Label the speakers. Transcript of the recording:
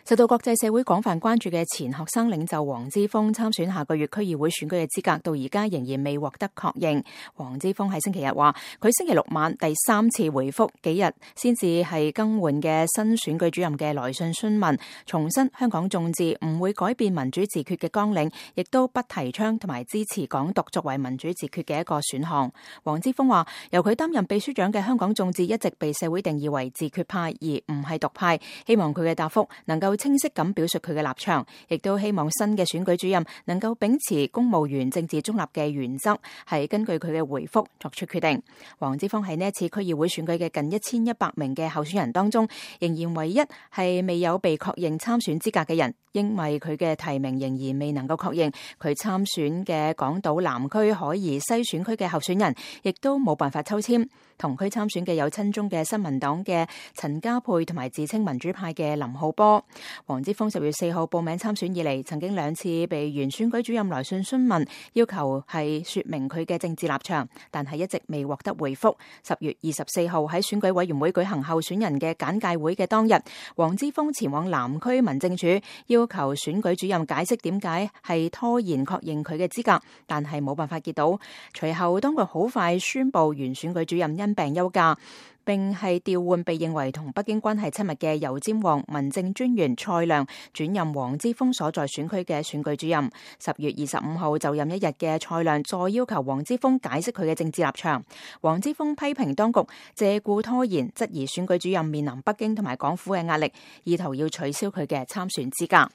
Speaker 1: 受到國際社會廣泛關注嘅前學生領袖黃之鋒參選下個月區議會選舉嘅資格，到而家仍然未獲得確認。黃之鋒喺星期日話，佢星期六晚第三次回覆幾日先至係更換嘅新選舉主任嘅來信詢問，重申香港眾志唔會改變民主自決嘅綱領，亦都不提倡同埋支持港獨作為民主自決嘅一個選項。黃之鋒話，由佢擔任秘書長嘅香港眾志一直被社會定義為自決派，而唔係獨派，希望佢嘅答覆能夠清晰咁表述佢嘅立場，亦都希望新嘅選舉主任能夠秉持公務員政治中立嘅原則，係根據佢嘅回覆作出決定。黃之鋒喺呢一次區議會選舉嘅近1100名嘅候選人當中，仍然唯一係未有被確認參選資格嘅人，因為佢嘅提名仍然未能夠確認，佢參選嘅港島南區海怡西選區嘅候選人，亦都冇辦法抽籤。同區參選嘅有親中嘅新民黨嘅陳家珮同埋自稱民主派嘅林浩波。黃之鋒10月4號報名參選以嚟，曾經2次被原選舉主任來信詢問，要求係說明佢嘅政治立場，但係一直未獲得回覆。10月24號喺選舉委員會舉行候選人嘅簡介會嘅當日，黃之鋒前往南區民政處，要求選舉主任解釋點解係拖延確認佢嘅資格，但係冇辦法見到。隨後當局好快宣布原選舉主任因病休假，並係調換被認為同北京關係親密嘅油尖旺民政專員蔡亮轉任黃之鋒所在選區嘅選舉主任。10月25號就任一日嘅蔡亮再要求黃之鋒解釋佢嘅政治立場。黃之鋒批評當局借故拖延，質疑選舉主任面臨北京同埋港府嘅壓力，意圖要取消佢嘅參選資格。